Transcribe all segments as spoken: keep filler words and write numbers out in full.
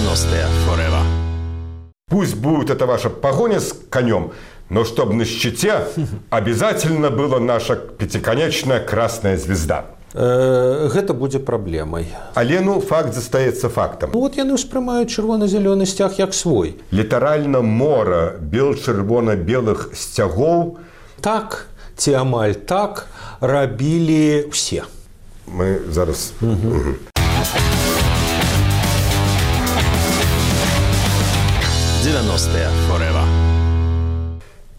девяностые forever. Пусть будет это ваша погоня с конем, но чтобы на щите обязательно была наша пятиконечная красная звезда. Гэта будзе праблемай. Але ну факт застаецца фактам. Ну, вот яны ўспрымаюць чырвона-зялёны сцяг як свой. Літаральна мора бел-чырвона-белых сцягоў. Так ці амаль так рабілі ўсе. Мы зараз... Угу. Угу. девяностые forever.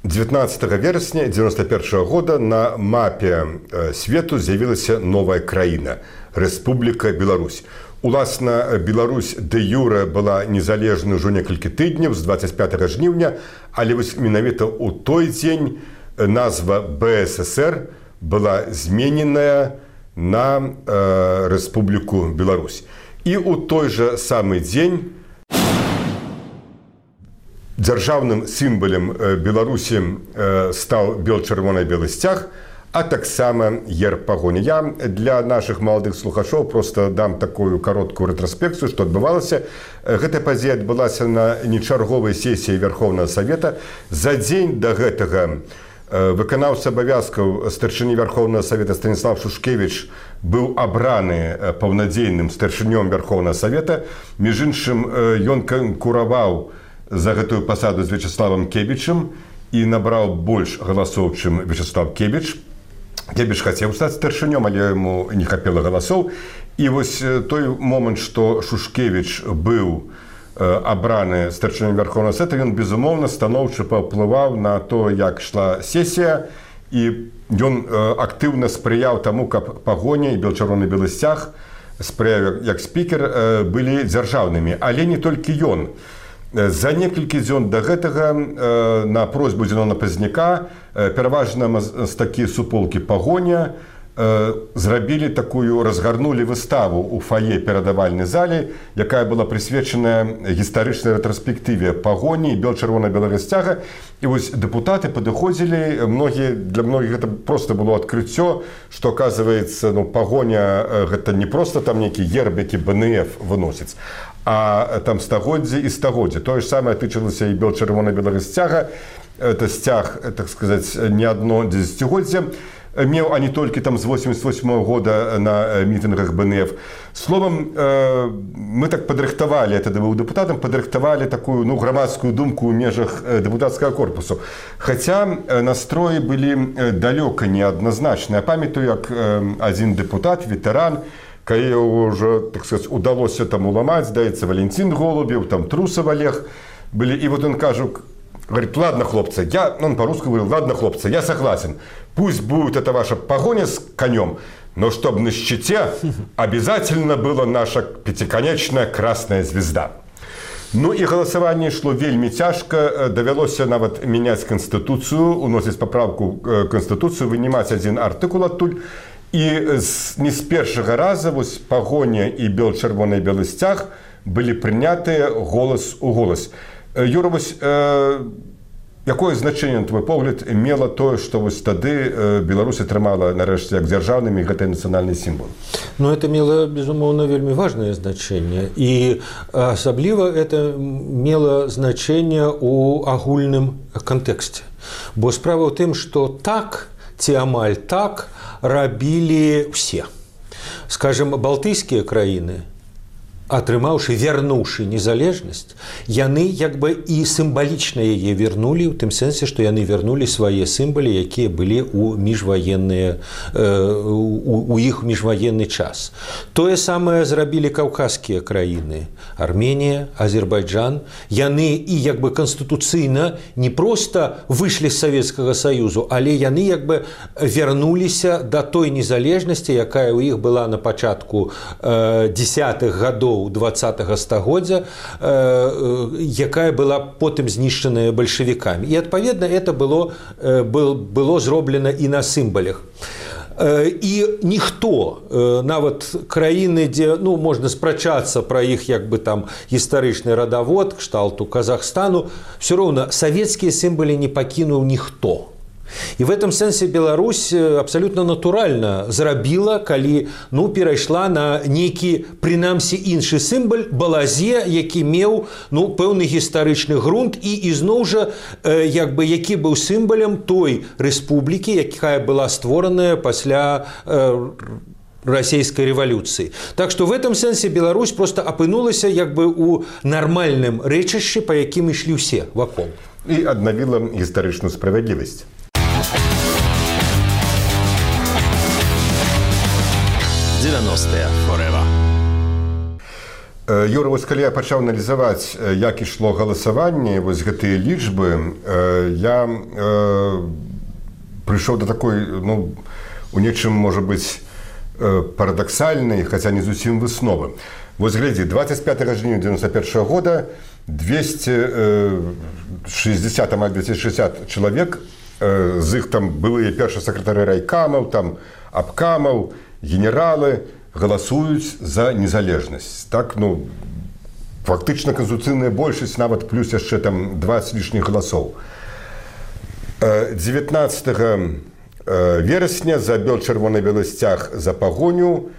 девятнадцатого верасня девяносто первого года на мапе свету з'явілася новая краіна – Рэспубліка Беларусь. Уласна, Беларусь дэ-юрэ была незалежнай ужо некалькі тыдняў з двадцать пятого жніўня, але вось менавіта ў той дзень назва бэ эс эс эр была змененая на э, Рэспубліку Беларусь. І ў той жа самы дзень дзяржаўным сімвалем Беларусі стаў бел-чырвона-белы сцяг, а таксама герб пагоні. Я для нашых маладых слухачоў просто дам такую кароткую рэтраспекцыю, што адбывалася. Гэтая падзея адбылася на нечарговай сесіі Верховнага Савета. За дзень да гэтага выканаўца абавязкаў старшыні Верховнага Савета Станіслав Шушкевіч быў абраны паўнадзейным старшынём Верховнага Савета. Між іншым, ён канкураваў за гэтую пасаду з Вячеславам Кебічам і набраў больш галасоў, чым Вячеслав Кебіч. Кебіч хацеў стаць старшынём, але яму не хапіла галасоў. І вось той момант, што Шушкевіч быў абраны старшынём Верховнага Савета, ён, безумоўна, станоўча паўплываў на то, як ішла сесія, і ён актыўна спрыяў таму, каб пагоня і бел-чырвона-белы сцяг, спрыяў як спікер, былі дзяржаўнымі. Але не толькі ён. За некалькі дзён да гэтага на просьбу Зенона Пазняка пераважна мастакі суполкі пагоня зрабілі такую, разгарнулі выставу ў фае перадавальнай зале, якая была прысвечаная гістарычнай рэтраспектыве пагоні і бел-чырвона-белага сцяга. І вось дэпутаты падыходзілі, многія, для многіх гэта проста было адкрыццё, што, аказваецца, ну, пагоня гэта не проста там нейкі герб, які бэ эн эф выносіць, а там стагоддзі і стагоддзі. Тое ж самае тычылася і бел-чырвона-белага сцяга. Это сцяг, так сказаць, не адно дзесяцігоддзе меў, а не толькі там з восемьдесят восьмого года на мітынгах бэ эн эф. Словом, мы так падрыхтавалі, я тады быў дэпутатам, падрыхтавалі такую, ну, грамадскую думку ў межах дэпутацкага корпусу. Хаця настроі былі далёка неадназначныя. Памятаю, як адзін дэпутат, ветэран, калі ўжо, так сказаць, удалося там уламаць, здаецца, Валентин Голубев, там Трусов Олег былі. І вот он кажа, говорит: ладно, хлопцы, я, он по-русски говорил: ладно, хлопцы, я согласен, пусть будет это ваша погоня с конем, но чтобы на щите обязательно была наша пятиконечная красная звезда. Ну і галасаванне ішло вельмі цяжка, давялося нават мяняць канстытуцыю, уносіць паправку канстытуцыю, вынімаць адзін артыкул адтуль. І не з першага раза вось пагоня і бел-чырвоны белы сцяг былі прынятыя голас у голас. Юра, вось э, якое значэнне, на твой погляд, мела тое, што вось тады э, Беларусь атрымала нарэшце як дзяржаўнымі гэты нацыянальны сімвол? Ну, это мела, безумоўна, вельмі важнае значэнне. І асабліва это мела значэнне ў агульным кантэксце. Бо справа ў тым, што так ці амаль так рабілі ўсе. Скажем, балтыйскія краіны, атрымаўшы, вярнуўшы незалежнасць, яны як бы і сімвалічна яе вярнулі, у тым сэнсе, што яны вярнулі свае сімвалы, якія былі ў міжваенныя, у іх міжваенны час. Тое самае зрабілі каўказскія краіны, Арменія, Азербайджан. Яны і як бы канстытуцыйна не проста выйшлі з Савецкага Саюзу, але яны як бы вярнуліся да той незалежнасці, якая ў іх была на пачатку дзесятых гадоў двадцатага стагоддзя, якая была потым знішчаная бальшавікамі. І, адпаведна, это было, было зроблена і на сімвалях. І ніхто, нават краіны, дзе, ну, можна спрачацца пра іх як бы там гістарычны радавод, кшталту Казахстану, все роўна савецкія сімвалы не пакінуў ніхто. І в этом сэнсе Беларусь абсалютна натуральна зрабіла, калі ну, перайшла на нейкі, прынамсі, іншы сімбал балазе, які меў ну, пэўны гістарычны грунт і ізноў жа, як бы, які быў сімбалем той рэспублікі, якая была створаная пасля расійскай рэвалюцыі. Так што в этом сэнсе Беларусь просто апынулася як бы у нармальным рэчышчы, па якім ішлі ўсе вакол. І аднавіла гістарычную справядлівасць. девяностые forever. Юра, вось калі я пачаў аналізаваць, як ішло галасаванне, вось гэтыя лічбы, я э, прыйшоў да такой, ну, у нечым, можа быць, парадаксальнай, хаця не зусім высновы. Вось глядзі, двадцать пятого жніўня девяносто первого года двести шестьдесят, амаль двести шестьдесят чалавек, з іх там былыя першыя сакратары райкамаў, там абкамаў, генералы галасуюць за незалежнасць. Так, ну, фактычна канстытуцыйная большасць, нават плюс яшчэ там двадцать лішніх галасоў. девятнадцатого верасня за бел-чырвона-белы сцяг за пагоню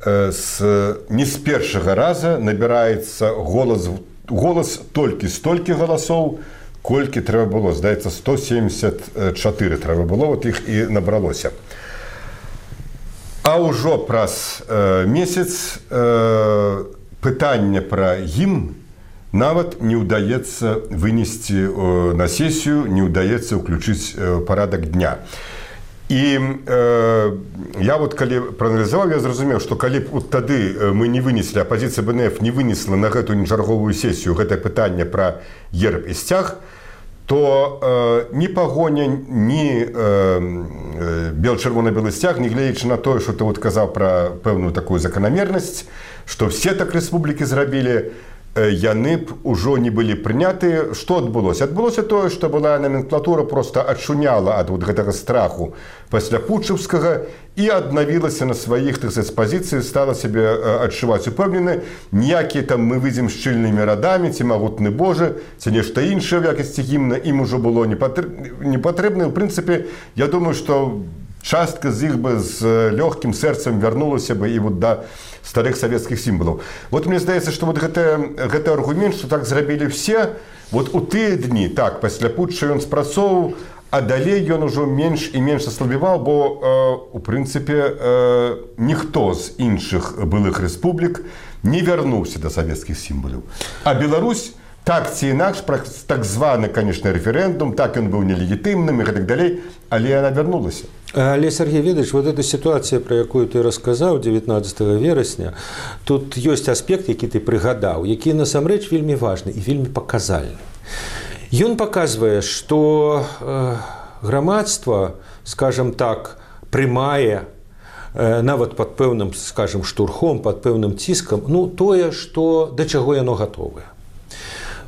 с, не з першага раза набіраецца голас, голас толькі столькі галасоў, колькі трэба было. Здаецца, сто семьдесят четыре трэба было, вот іх і набралося. А ўжо праз э, месяц э, пытанне пра гімн нават не ўдаецца вынесці э, на сесію, не ўдаецца ўключыць э, парадак дня. І э, я вот калі прааналізаваў, я зразумеў, што калі б вот тады мы не вынеслі, апазіцыя БНФ не вынесла на гэту нечарговую сесію гэтае пытанне пра герб і сцяг, то э, ні пагоня, ні э, бел-чырвона-белы сцяг, не гледзячы на тое, што ты вот казаў пра пэўную такую заканамернасць, што все так рэспублікі зрабілі, яны б ужо не былі прынятыя. Што адбылося? Адбылося тое, што была номенклатура проста адшуняла ад вот гэтага страху пасля путчаўскага і аднавілася на сваіх, так сказаць, пазіцыі, стала сябе адчуваць упэўнена. Ніякія там мы выйдзем шчыльнымі радамі, ці магутны Божа, ці нешта іншае ў якасці гімна ім ужо было не патрэбна. У прынцыпе, я думаю, што частка з іх бы з лёгкім сэрцам вярнулася бы і вот да старых савецкіх сімвалаў. Вот мне здаецца, што вот гэты, гэты аргумент, што так зрабілі все, вот у тыя дні, так, пасля путча ён спрацоўваў, а далей ён ужо менш і менш аслабіваў, бо, э, у прынцыпе, э, ніхто з іншых былых рэспублік не вярнуўся да савецкіх сімвалаў. А Беларусь, так ці інакш, так званы, конечно, рэферэндум, так ён быў нелегітымным і гэтак далей, але яна вярнулася. Але, Сергей Ведович, вот эта ситуация, про якую ты рассказал девятнадцатого верасня, тут есть аспект, які ты прыгадаў, які насамрэч вельмі важны і вельмі паказальны. Ён паказвае, што э, грамадства, скажем так, прымае э, нават пад пэўным, скажем, штурхом, пад пэўным ціскам, ну, тое, што, да чаго яно гатовае.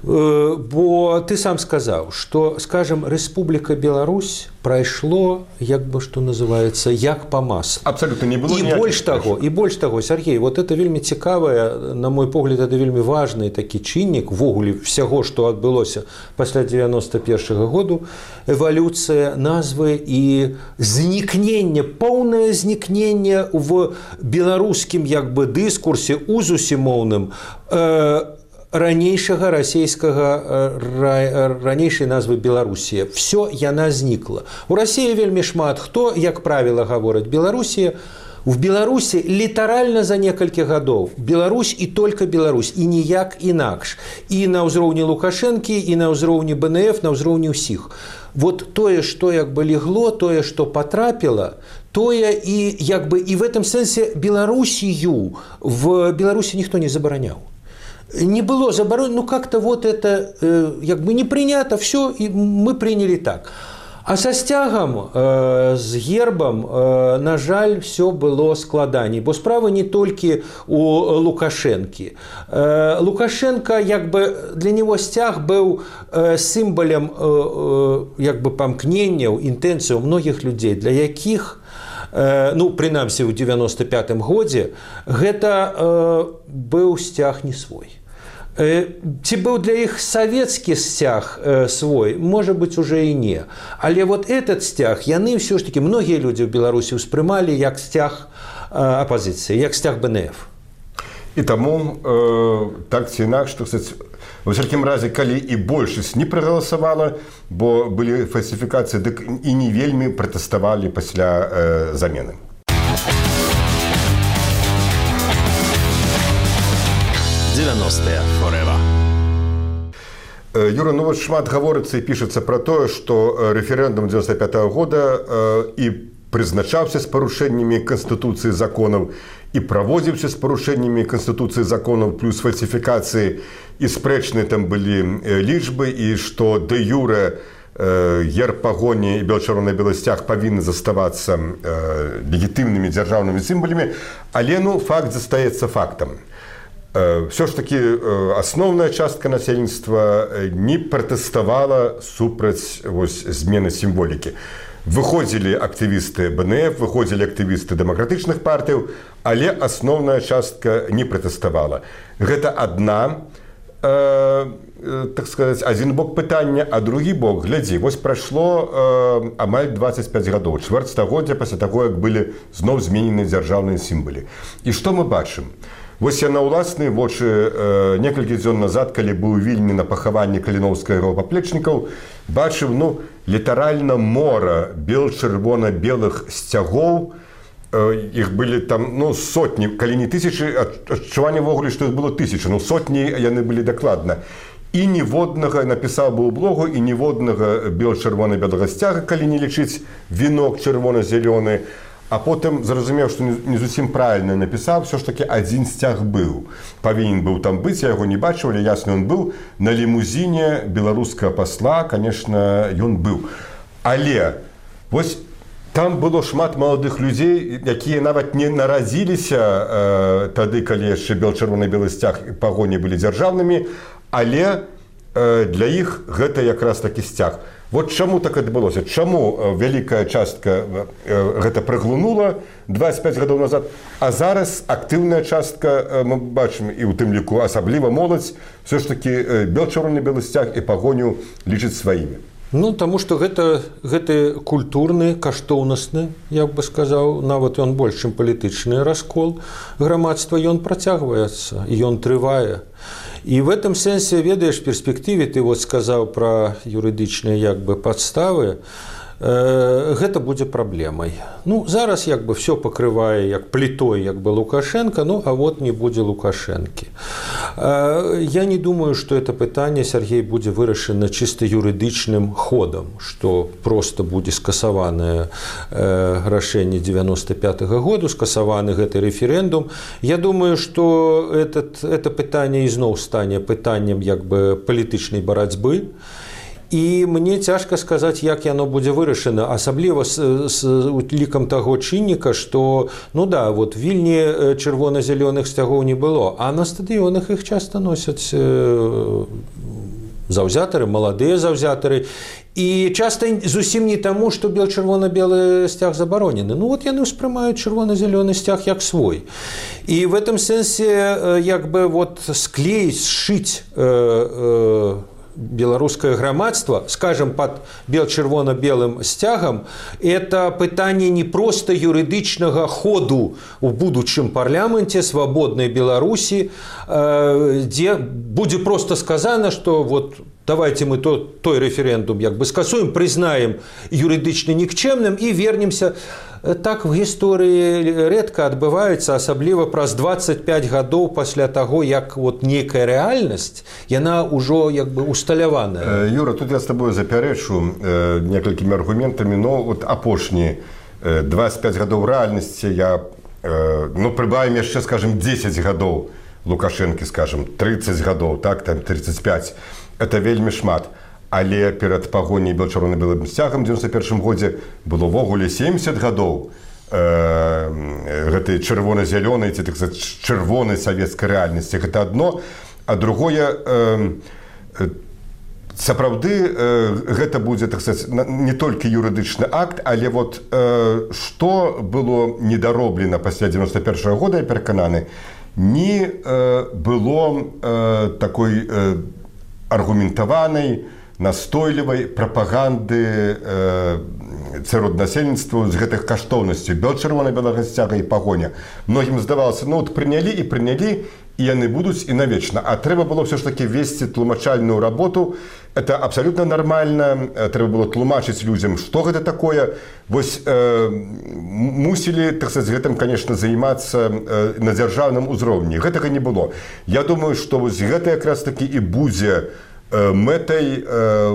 Бо ты сам сказаў, што, скажем, Рэспубліка Беларусь прайшло, як бы, што называецца, як па маслу. Абсолютно не было. І больш таго, і больш таго, Сергей, вот это вельмі цікавае, на мой погляд, это вельмі важны такі чыннік увогуле всяго, што адбылося пасля девяносто первого году, эвалюцыя назвы і знікненне, поўнае знікненне в беларускім, як бы, дыскурсе узусімоўным э, ранейшага расійскага, ранейшай назвы Беларусія. Всё яна знікла. У Расіі вельмі шмат хто, як правіла, гавораць Беларусія. В Беларусі літаральна за некалькі гадоў Беларусь і толькі Беларусь, і ніяк інакш. І на ўзроўні Лукашэнкі, і на ўзроўні БНФ, на ўзроўні ўсіх. Вот тое, што як бы легло, тое, што патрапіла, тое і як бы і в этом сэнсе Беларусію в Беларусі ніхто не забараняў. Не было заборонено, ну как-то вот это э, как бы не принято, все, и мы приняли так. А со сцягам, э, с гербом, э, на жаль, все было складаней, бо справа не толькі у Лукашэнкі. Э, Лукашенко, як бы, для него сцяг быў э, сімвалем, э, э, як бы, памкненняў, інтэнцыяў многіх людзей, для якіх, ну, прынамсі, ў девяносто пятым годзе, гэта э, быў сцяг не свой. Ці быў для іх савецкі сцяг свой, можа быць, уже і не. Але вот этот сцяг, яны ўсё ж такі, многія людзі ў Беларусі ўспрымалі як сцяг апазіцыі, як сцяг бэ эн эф. І таму э, так ці інакш, што, кстати, во всякім разе, калі і большасць не прагаласавала, бо былі фальсіфікацыі, дык і не вельмі пратэставалі пасля э, замены. девяностые forever. Юра, ну вот шмат гаворыцца і пішацца пра тое, што рэферэндум девяносто пятого года э, і прызначаўся з парушэннямі Канстытуцыі законаў, і праводзіўся з парушэннямі Канстытуцыі законаў, плюс фальсіфікацыі, і спрэчныя там былі лічбы, і што дэ юрэ э, герб пагоні і бело-чырвона-белы сцяг павінны заставацца э, легітымнымі дзяржаўнымі сімвалямі, але ну, факт застаецца фактам. Все ж таки асноўная частка насельніцтва не пратэставала супраць вось, змены сімволікі. Выходзілі актывісты бэ эн эф, выходзілі актывісты дэмакратычных партыяў, але асноўная частка не пратэставала. Гэта адна, э, так сказаць, адзін бок пытання, а другі бок, глядзі, вось прайшло э, амаль дваццаць пяць гадоў, чвэрць стагоддзя пасля таго, як былі зноў зменены дзяржаўныя сімвалы. І што мы бачым? Вось я на ўласныя вочы э, некалькі дзён назад, калі быў у Вільні на пахаванні каліноўскага паплечнікаў, бачыў, ну, літаральна мора бел-чырвона-белых сцягоў. Э, іх былі там, ну, сотні, калі не тысячы, адчуванне ввогуле, што іх было тысячы, ну, сотні яны былі дакладна. І ніводнага, напісаў бы ў блогу, і ніводнага бел-чырвона-белага сцяга, калі не лічыць вінок чырвона-зялёны. А потым зразумеў, што не зусім правільна напісаў, все ж такі адзін сцяг быў. Павінен быў там быць, я яго не бачыў, але ясна, ён быў. На лімузіне беларускага пасла, конечно, ён быў. Але вось там было шмат маладых людзей, якія нават не нарадзіліся э, тады, калі яшчэ бел-чырвона-белы сцяг і пагоні былі дзяржаўнымі, але э, для іх гэта якраз такі сцяг. Вот чаму так адбылося? Чаму вялікая частка гэта праглынула дваццаць пяць гадоў назад, а зараз актыўная частка, мы бачым і ў тым ліку асабліва моладзь, все ж такі бел-чырвона-белы сцяг і пагоню лічыць сваімі. Ну, таму што гэта, гэта культурны, каштоўнасны, я бы сказаў, нават ён больш, чым палітычны раскол грамадства, ён працягваецца, і ён трывае. І в этом сэнсе, ведаеш, перспектыве, ты вот сказаў пра юрыдычныя як бы падставы, э, гэта будзе праблемай. Ну, зараз як бы все пакрывае як плітой, як бы Лукашенко, ну, а вот не будзе Лукашэнкі. Э, я не думаю, што это пытанне, Сергей, будзе вырашана чыста юрыдычным ходам, што просто будзе скасаванае э, рашэнне девяносто пятого году, скасаваны гэты рэферэндум. Я думаю, што этот, это пытанне ізноў стане пытаннем як бы палітычнай барацьбы. І мне цяжка сказаць, як яно будзе вырашана, асабліва з, з лікам таго чынніка, што, ну да, вот Вільні чырвона-зялёных сцягоў не было, а на стадыёнах іх часта носяць э, заўзятары, маладыя заўзятары, і часта зусім не таму, што бел-чырвона-белы сцяг забаронены. Ну вот яны ўспрымаюць чырвона-зялёны сцяг як свой. І в этом сэнсе як бы вот склеіць, сшыць э, э, беларускае грамадства, скажем, под бел-чырвона-белым сцягам, это пытанне не проста юрыдычнага ходу у будучым парламенце свабоднай Беларусі, дзе будзе просто сказано, что вот давайте мы то, той рэферэндум як бы скасуем, прызнаем юрыдычна нікчэмным і вернемся. Так в гісторыі рэдка адбываецца, асабліва праз дваццаць пяць гадоў пасля таго, як вот нейкая рэальнасць, яна ўжо як бы усталяваная. Юра, тут я з табою запярэчу э, некалькімі аргументамі, но вот апошні э, дваццаць пяць гадоў рэальнасці я, э, ну, прыбавім яшчэ, скажем, дзесяць гадоў Лукашэнкі, скажем, трыццаць гадоў, так, там трыццаць пяць. Это вельмі шмат. Але перад пагоняй бел-чырвона-белым сцягам у девяносто першым годзе было ўвогуле семьдесят гадоў э, гэтай чырвона-зялёнай ці так сказаць чырвонай савецкай рэальнасці. Гэта адно, а другое э, сапраўды э, гэта будзе так сказаць не толькі юрыдычны акт, але вот э, што было недароблена пасля девяносто першага года, я перакананы, ні было такой аргументаванай, настойлівай прапаганды сярод насельніцтва з гэтых каштоўнасцей бел-чырвонай, белага сцяга і пагоня. Многім здавалася, ну от прынялі і прынялі, і яны будуць і навечна. А трэба было ўсё ж такі весці тлумачальную работу. Это абсолютно нормально. Трэба было тлумачыць людзям, што гэта такое. Вось э, мусілі, так сказать, гэтым, конечно, займацца э, на дзяржаўным узроўні. Гэтага не было. Я думаю, што вось гэта якраз такі і будзе мэтай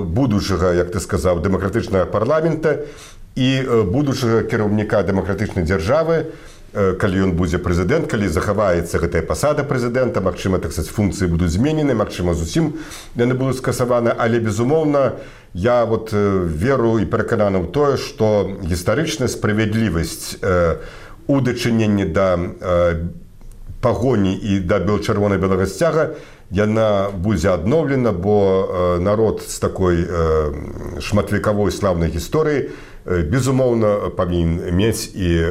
будучага, як ты сказаў, дэмакратычнага парламента і будучага кіраўніка дэмакратычнай дзяржавы, калі ён будзе прэзідэнт, калі захаваецца гэтая пасада прэзідэнта, магчыма, так сказаць, функцыі будуць зменены, магчыма, зусім яны будуць скасаваны, але, безумоўна, я вот веру і перакананы ў тое, што гістарычная справядлівасць у дачыненні да пагоні і да бел-чырвонай белага сцяга яна будзе адноўлена, бо народ з такой шматвекавой слаўнай гісторыі безумоўна павінен мець і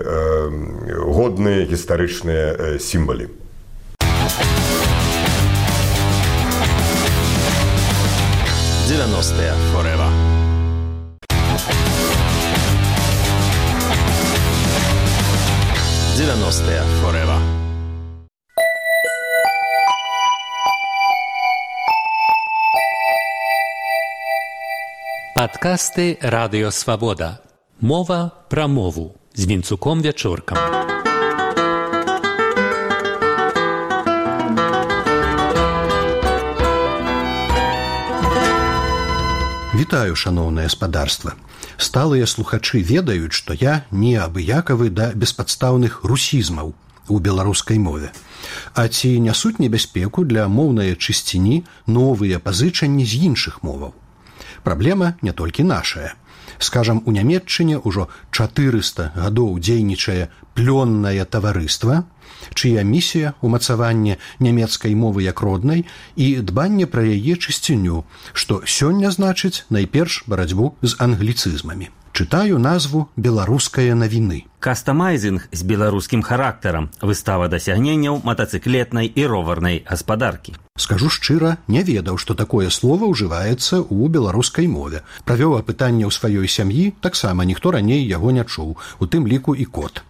годныя гістарычныя сімвалы. девяностые forever. девяностые forever. Падкасты Радыё Свабода. Мова пра мову з Вінцуком Вячоркам. Вітаю, шаноўнае спадарства. Сталыя слухачы ведаюць, што я не абыякавы да беспадстаўных русізмаў у беларускай мове. А ці нясуць небяспеку для моўнай чысціні новыя пазычанні з іншых моваў? Праблема не толькі нашая. Скажам, у Нямецчыне ўжо чатырыста гадоў дзейнічае плённае таварыства, чыя місія ўмацаванне нямецкай мовы як роднай і дбанне пра яе чысціню, што сёння значыць найперш барацьбу з англіцызмамі. Чытаю назву «Беларускае навіны». Кастамайзінг з беларускім характарам, выстава дасягненняў матацыклетнай і роварнай гаспадаркі. Скажу шчыра, не ведаў, што такое слова ўжываецца ў беларускай мове. Правёў апытанне ў сваёй сям'і, таксама ніхто раней яго не чуў, у тым ліку і кот.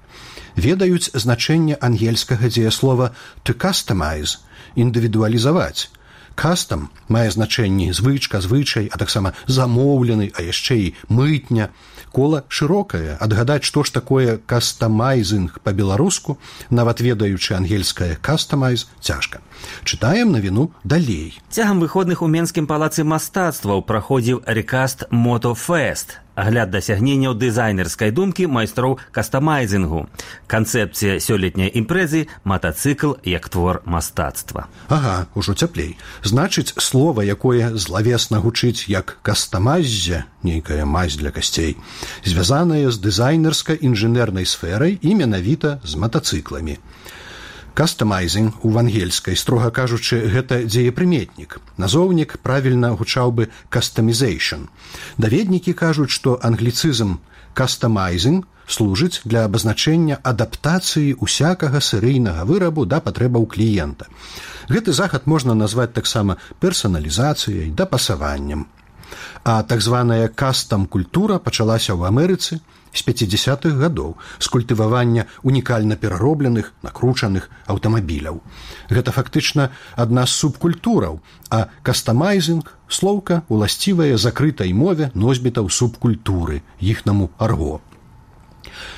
Ведаюць значэнне ангельскага дзеяслова «to customize» – індывідуалізаваць. Кастам мае значэнні звычка, звычай, а таксама замоўлены, а яшчэ і мытня. Кола шырокае, адгадаць, што ж такое кастамайзінг па-беларуску, нават ведаючы ангельскае «customize» цяжка. Чытаем навіну далей. Цягам выходных у Менскім палацы мастацтваў праходзіў рекаст «Мотофест» – агляд дасягненняў дызайнерскай думкі майстроў кастамайзінгу. Канцэпцыя сёлетняй імпрэзы – матацыкл як твор мастацтва. Ага, ужо цяплей. Значыць, слова, якое злавесна гучыць як «кастамайззе», нейкая мазь для касцей, звязанае з дызайнерска-інжынернай сферай і менавіта з матацыкламі. Кастамайзінг у ангельскай, строга кажучы, гэта дзеепрыметнік. Назоўнік правільна гучаў бы «customization». Даведнікі кажуць, што англіцызм «customizing» служыць для абазначэння адаптацыі усякага серыйнага вырабу да патрэбаў кліента. Гэты захад можна назваць таксама персаналізацыяй, дапасаваннем. А так званая кастам-культура пачалася ў Амерыцы з пяцідзясятых гадоў з культывавання унікальна пераробленых, накручаных аўтамабіляў. Гэта фактычна адна з субкультураў, а кастамайзінг – слоўка, уласцівая закрытай мове носьбітаў субкультуры, іхнаму арго.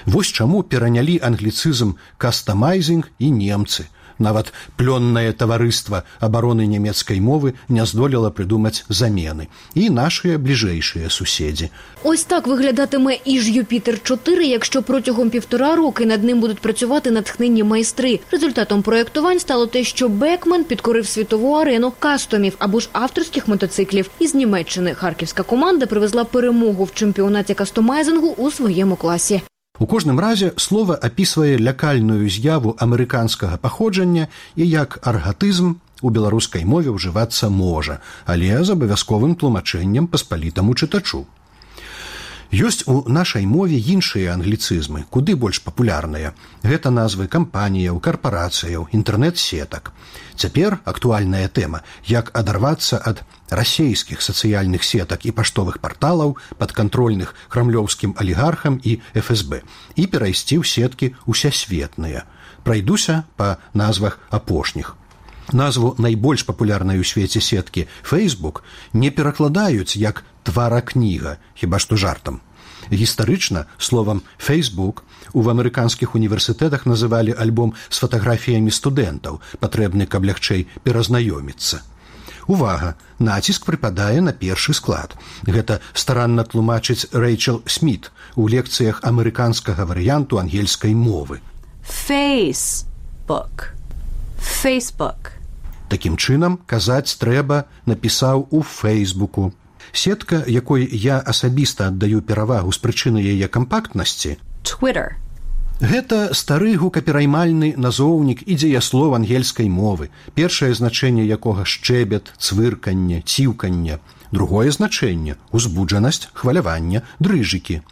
Вось чаму перанялі англіцызм кастамайзінг і немцы. Нават плённае таварыства абароны нямецкай мовы не здолела прыдумаць замены. І нашыя бліжэйшыя суседзі. Ось так виглядатиме і ж Юпітер чотири, якщо протягом півтора роки над ним будуть працювати натхненні майстри. Результатом проєктувань стало те, що Бекмен підкорив світову арену кастомів або ж авторських мотоциклів. Із Німеччини харківська команда привезла перемогу в чемпіонаті кастомайзингу у своєму класі. У кожным разе слова апісвае лякальную з'яву амерыканскага паходжання і як аргатызм у беларускай мове ўжывацца можа, але з абавязковым тлумачэннем паспалітаму чытачу. Ёсць у нашай мове іншыя англіцызмы, куды больш папулярныя. Гэта назвы кампаніяў, карпарацыяў, інтэрнэт-сетак. Цяпер актуальная тэма, як адарвацца ад расейскіх сацыяльных сетак і паштовых парталаў, падкантрольных крамлёўскім алігархам і эф эс бэ, і перайсці ў сеткі усесветныя. Прайдуся па назвах апошніх. Назву найбольш папулярнай у свеце сеткі Facebook не перакладаюць як тваракніга, хіба што жартам. Гістарычна словам Facebook у амерыканскіх універсітэтах называлі альбом з фатаграфіямі студэнтаў, патрэбны, каб лягчэй перазнаёміцца. Увага! Націск прыпадае на першы склад. Гэта старанна тлумачыць Рэйчел Сміт у лекцыях амерыканскага варыянту ангельскай мовы. Facebook. Facebook. Такім чынам, казаць трэба напісаў у Фейсбуку. Сетка, якой я асабіста аддаю перавагу з прычыны яе кампактнасці, Twitter. Гэта стары гукапераймальны назоўнік і дзеяслов ангельскай мовы, першае значэнне якога шчэбет, цвырканне, ціўканне, другое значэнне узбуджанасць, хваляванне, дрыжыкі.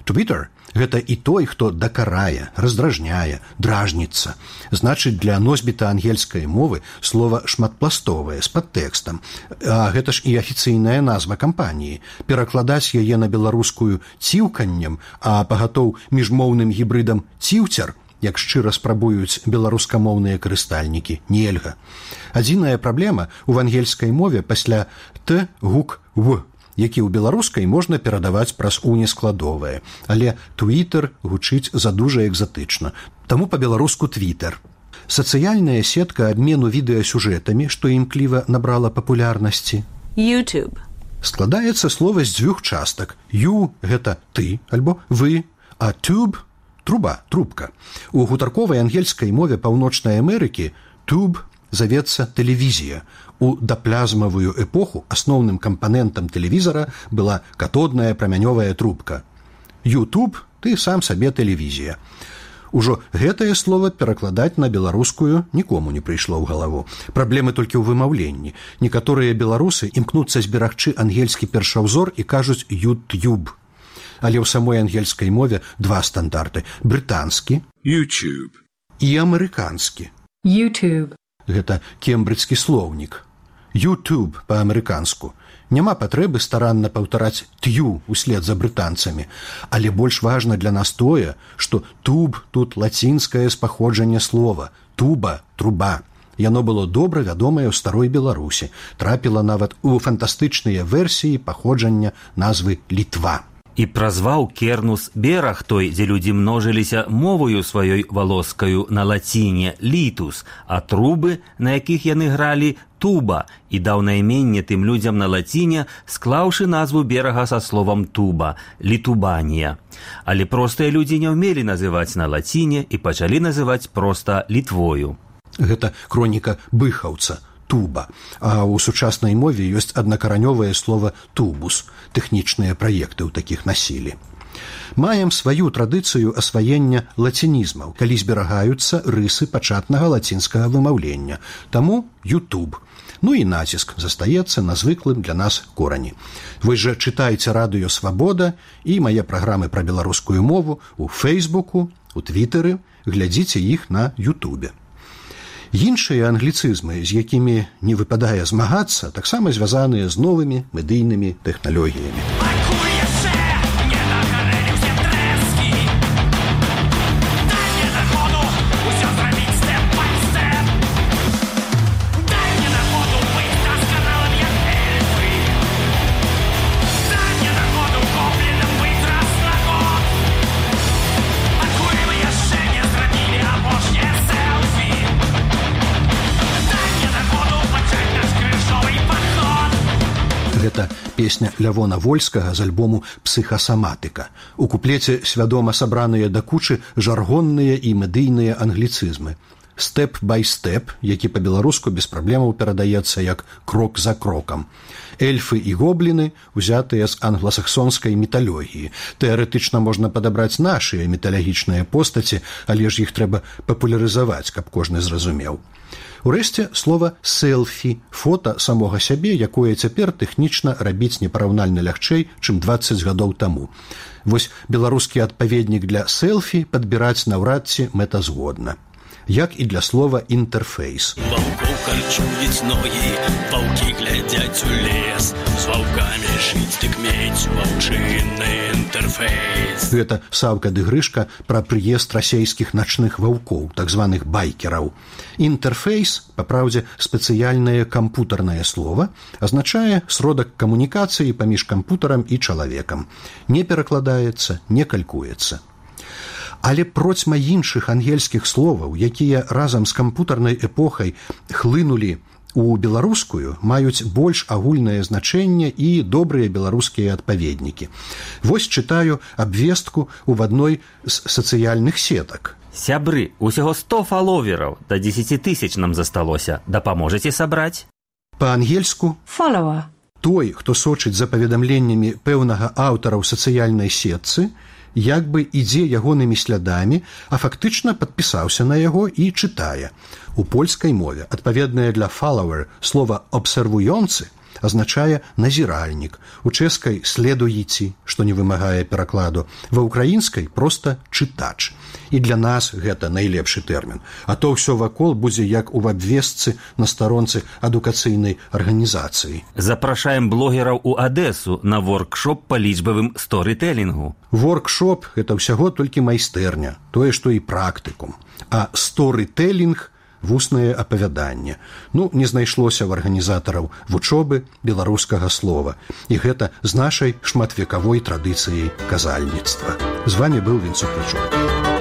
Twitter – гэта і той, хто дакарае, раздражняе, дражніцца. Значыць, для носьбіта ангельскай мовы слова шматпластовае, з падтэкстам. А гэта ж і афіцыйная назва кампаніі. Перакладаць яе на беларускую ціўканнем, а пагатоў міжмоўным гібрыдам ціўцер, як шчыра спрабуюць беларускамоўныя карыстальнікі, нельга. Адзіная праблема ў ангельскай мове пасля «т» гук «в», які ў беларускай можна перадаваць праз «у» нескладовае. Але «твітер» гучыць задужа экзатычна. Таму па-беларуску «твітер». Сацыяльная сетка абмену відэасюжэтамі, што імкліва набрала папулярнасці. YouTube. Складаецца слова з дзвюх частак. «You» – гэта «ты» альбо «вы», а «tube» – труба, трубка. У гутарковай ангельскай мове Паўночнай Амерыкі «tube» завецца тэлевізія. У даплязмавую эпоху асноўным кампанентам тэлевізара была катодная прамянёвая трубка. YouTube – ты сам сабе тэлевізія. Ужо гэтае слово перакладаць на беларускую нікому не прыйшло ў галаву. Праблемы толькі ў вымаўленні. Некаторыя беларусы імкнуцца зберагчы ангельскі першаўзор і кажуць «YouTube». Але ў самой ангельскай мове два стандарты – брытанскі YouTube і амерыканскі. YouTube. Гэта кембриджскі слоўнік. YouTube па-амерыканску. Няма патрэбы старанна паўтараць «тю» услед за брытанцамі. Але больш важна для нас тое, што «туб» тут лацінскае з паходжання слова. «Туба» – труба. Яно было добра вядомае ў старой Беларусі. Трапіла нават у фантастычныя версіі паходжання назвы «Літва». І празваў Кернус бераг той, дзе людзі множыліся мовою сваёй валоскаю на лаціне «літус», а трубы, на якіх яны гралі, «туба», і даў найменне тым людзям на лаціне, склаўшы назву берага са словам «туба» – «літубанія». Але простыя людзі не ўмелі называць на лаціне і пачалі называць проста «літвою». Гэта хроніка быхаўца. Туба, а ў сучаснай мове ёсць аднакаранёвае слова «тубус», тэхнічныя праекты ў такіх насілі. Маем сваю традыцыю асваення лацінізмаў, калі зберагаюцца рысы пачатнага лацінскага вымаўлення. Таму YouTube. Ну і націск застаецца на звыклым для нас корані. Вы жа чытайце радыё «Свабода» і мае праграмы пра беларускую мову у Фейсбуку, у Твітэры, глядзіце іх на Ютубе. Іншыя англіцызмы, з якімі не выпадае змагацца, таксама звязаныя з новымі медыйнымі тэхналогіямі. Гэта песня Лявона Вольскага з альбому «Псіхасаматыка». У куплеце свядома сабраныя да кучы жаргонныя і медыйныя англіцызмы. step by step, які па-беларуску без праблемаў перадаецца як крок за крокам. Эльфы і гобліны узятыя з англасаксонскай міталогіі. Тэарэтычна можна падабраць нашыя міталагічныя постаці, але ж іх трэба папулярызаваць, каб кожны зразумеў. Урэшце, слова «селфі» – фота самога сябе, якое цяпер тэхнічна рабіць непараўнальна лягчэй, чым дваццаць гадоў таму. Вось беларускі адпаведнік для селфі падбіраць наўрад ці мэтазгодна. Як і для слова «інтэрфейс». Ваўкоў карчуюць ногі, ваўкі глядзяць у лес, з ваўкамі жыць дык мець ваўчынны інтэрфейс. Гэта Саўка ды Грышка пра прыезд расейскіх начных ваўкоў, так званых байкераў. Інтэрфейс, па праўдзе, спецыяльнае кампутарнае слова, азначае сродак камунікацыі паміж кампутарам і чалавекам. Не перакладаецца, не калькуецца. Але процьма іншых ангельскіх словаў, якія разам з кампутарнай эпохай хлынулі у беларускую, маюць больш агульнае значэнне і добрыя беларускія адпаведнікі. Вось чытаю абвестку ў адной з сацыяльных сетак. Сябры, усяго сто фаловераў, да дзесяці тысяч нам засталося. Дапаможаце сабраць? Па-ангельску Follower. той, хто сочыць за паведамленнямі пэўнага аўтара ў сацыяльнай сетцы, як бы ідзе ягонымі слядамі, а фактычна падпісаўся на яго і чытае. У польскай мове адпаведнае для follower слова «абсервуёнцы» азначае назіральнік, у чэшскай «следуйці», што не вымагае перакладу, ва ўкраінскай проста «чытач». І для нас гэта найлепшы тэрмін. А то ўсё вакол будзе як у абвестцы на старонцы адукацыйнай арганізацыі. Запрашаем блогераў у Адэсу на воркшоп па лічбавым сторытэлінгу. Воркшоп – гэта ўсяго толькі майстэрня, тое, што і практыкум. А сторытэлінг – вуснае апавяданне. Ну, не знайшлося ў арганізатараў вучобы беларускага слова. І гэта з нашай шматвекавой традыцыяй казальніцтва. З вами быў Вінцук Плячук.